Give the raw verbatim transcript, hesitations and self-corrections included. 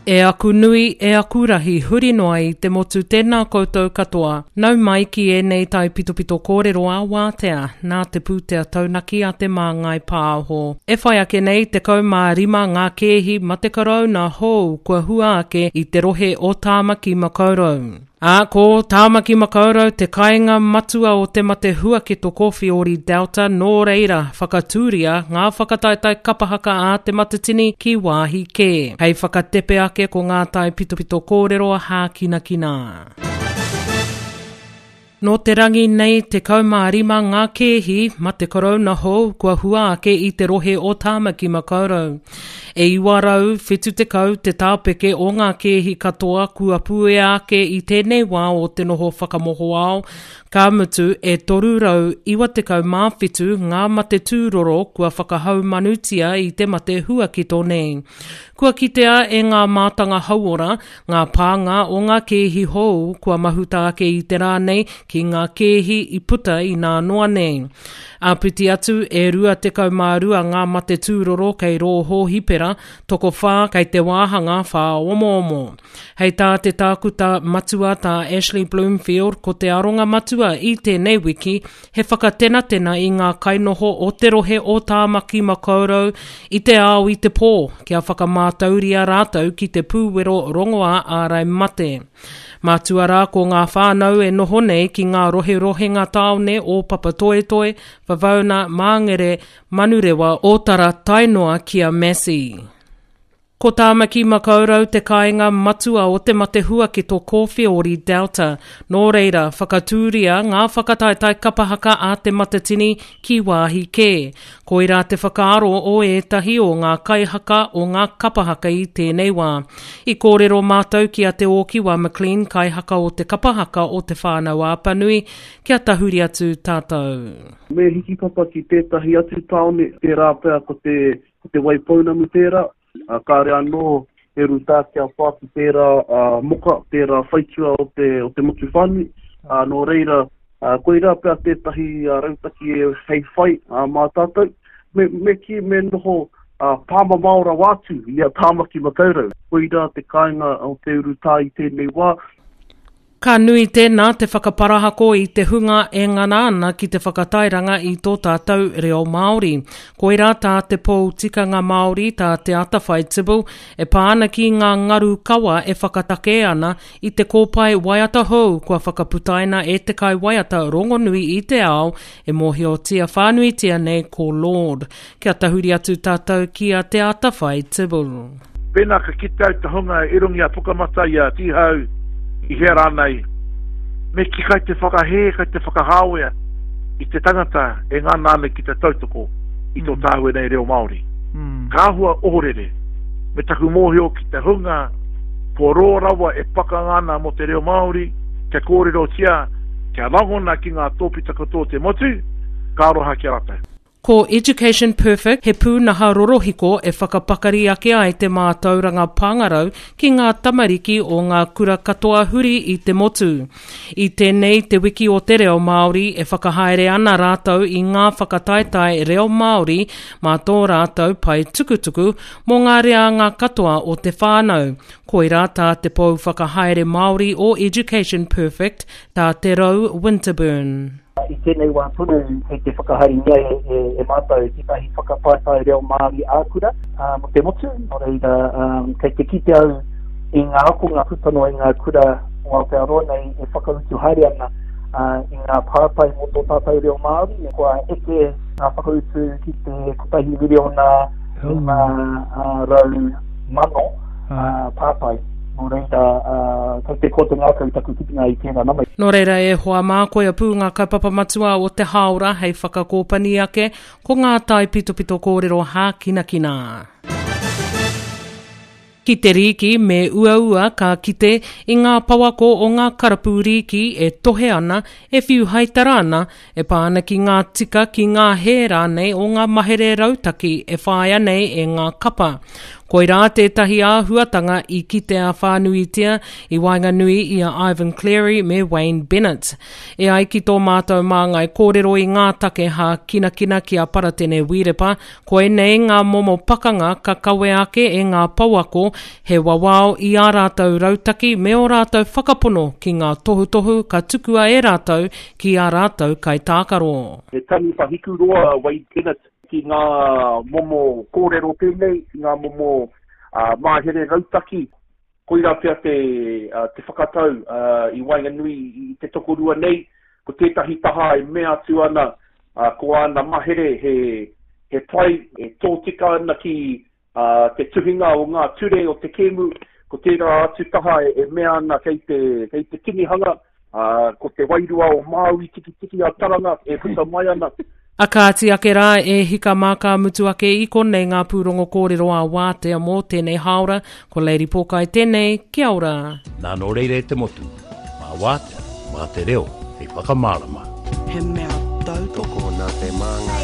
E aku nui, e aku rahi, huri noa i te motu tēnā koutou katoa. Nau mai ki ēnei taipitopito kōrero a wātea, nā te pūtea taunaki a te Māngai Pāho. E whai ake nei tekau mā rima ngā kēhi mate korouna hou kua hua ake i te rohe o Tāmaki Makaurau. Ā, ko Tāmaki Makaurau te kāinga matua o te mate huaketo Kōwhiori Delta, nō reira whakatūria ngā whakataetae kapahaka a Te Matatini ki wāhi kē. Hei whakatepe ake ko ngā taipitopito kōrero hākinakina. Nō te rangi nei tekau mā rima ngā kēhi mate korouna hou kua hua ake i te rohe o Tāmaki Makaurau. E iwa rau whitu tekau te tāpeke o ngā kēhi katoa kua puea ake i tēnei wā o te noho whakamohoao, ka mutu e toru rau iwa tekau mā whitu ngā mate tūroro kua whakahaumanutia i te mate huakito nei. Kua kitea e ngā mātanga hauora, ngā pānga o ngā kēhi hou kua mahuta ake i te rā nei ki ngā kēhi i puta i nā noa nei. Āpiti atu e rua tekau mā rua ngā mate tūroro kei rō hōhipera, tokowhā kei te wāhanga whāomoomo. Hei tā te tākuta matua tā Ashley Bloomfield ko te aronga matua i tēnei wiki he whakatenatena i ngā kainoho o te rohe o Tāmaki Makaurau i te ao i te pō kia whakamātauria rātou ki te pūwero rongoā ārai mate. Mātua rā ko ngā whānau e noho nei ki ngā roherohenga tāone o Papatoetoe, Whavauna, Māngere, Manurewa, Ōtara tae noa ki a Massey. Ko Tāmaki Makaurau te kāinga matua o te mate huaketo Kōwhiori Delta. Nō reira, whakatūria ngā whakataetae kapahaka a Te Matatini ki wāhi kē. Koirā te whakaaro o ētahi o ngā kaihaka o ngā kapahaka i tēnei wā. I kōrero mātou ki a Te Ōkiwa McLean, kaihaka o te kapahaka o Te Whānau Apanui, kia tahuri atu tātou. Me hikipapa ki tētahi atu tāone, tērā pea ko te, ko te Waipounamu tērā, Uh, kāre anō he rūtā kia pā ki tērā uh, moka, tērā whaitua o te, o te motu whānui. Uh, nō reira, uh, koirā pea tētahi uh, rautaki e hei whai uh, mā tātou. Me, me ki me noho uh, pāmamao rawa atu i a Tāmaki Makaurau. Koirā te kāinga o te urutā i tēnei wā. Ka nui tēnā te whakaparahako i te hunga e ngana ana ki te whakatairanga i tō tātou reo Māori. Koirā tā te pou tikanga Māori, tā Te Atawhai Tibble, e pā ana ki ngā ngaru kawa e whakatakē ana i te kōpae waiata hou kua whakaputaina e te kaiwaiata rongonui i te ao e mōhiotia whānuitia nei ko Lorde. Kia tahuri atu tātou ki a Te Atawhai Tibble. Pēnā ka kite au te hunga i runga i a Pukamata i a Tīhau, i hea rānei, me ki kai te whakahē, kai te whakahāwea i te tangata e ngana ana ki te tautoko i tō tāua nei reo Māori. Mm. Ka āhua ohorere, me taku mōhio ki te hunga kua roa rawa e pakanga ana mō te reo Māori, kia kōrerotia, kia rangona ki ngā tōpito katoa o te motu, ka aroha ki a rātou. Ko Education Perfect he pūnaha rorohiko e whakapakari ake ai te mātauranga pāngarau ki ngā tamariki o ngā kura katoa huri i te motu. I tēnei te wiki o te reo Māori e whakahaere ana rātou i ngā whakataetae reo Māori mā tō rātou pae tukutuku mō ngā reanga katoa o te whānau. Koirā tā te pou whakahaere Māori o Education Perfect, tā Te Rau Winterburn. I tēnei wā tonu kei te whakahaerengia e, e, e mātou tētahi whakataetae reo Māori ā-kura uh, mō te motu. Nō reira, um, kei te kite au i ngā akonga puta noa i ngā kura o Aotearoa nei e whakautu haere ana uh, i ngā pātai mō tō tātou reo Māori. Kua eke ngā whakautu ki te kotahi miriona rima uh, rau mano uh, pātai. Nō reira, uh, kei te koa te ngākau taku kitenga i tēnā nama. Nō reira e hoa mā, koia pū ngā kaupapa matua o te hāora hei whakakōpani ake ko ngā taipitopito kōrero hākinakina. Ki te rīki me uaua ka kite i ngā pawako o ngā karapu rīki e tohe ana, e whiu haitara ana, e pā ana ki ngā tika ki ngā hē rānei o ngā mahere rautaki e whāia nei e ngā kapa. Koirā tētahi āhuatanga i kitea whānuitia i waenganui i a Ivan Cleary me Wayne Bennett. E ai ki tō mātou māngai kōrero i ngā take hākinakina ki a Paratene Wīrepa, koinei ngā momo pakanga ka kawe ake e ngā pouako he wawao i ā rātou rautaki me ō rātou whakapono ki ngā tohutohu ka tukua e rātou ki ā rātou kaitākaro. He taniwha hikuroa a Wayne Bennett ki ngā momo kōrero pēnei, ki ngā momo uh, mahere rautaki. Koirā pea te, uh, te whakatau uh, i waenganui i te tokorua nei, ko tētahi taha e mea atu ana uh, ko āna mahere he, he pai, e tōtika ana ki uh, te tuhinga o ngā ture o te kēmu, ko tērā atu taha e, e mea ana kei te, kei te tinihanga, uh, ko te wairua o Māui tikitiki a Taranga e puta mai ana. A kāti ake rā e hika mā ka mutu ake i konei ngā pūrongo kōrero a wātea mō tēnei hāora, ko Lady Pōkai tēnei, kia ora. Nā nō reira e te motu, mā wātea, mā te reo, hei whakamārama. He mea tautoko Tokona te māngai.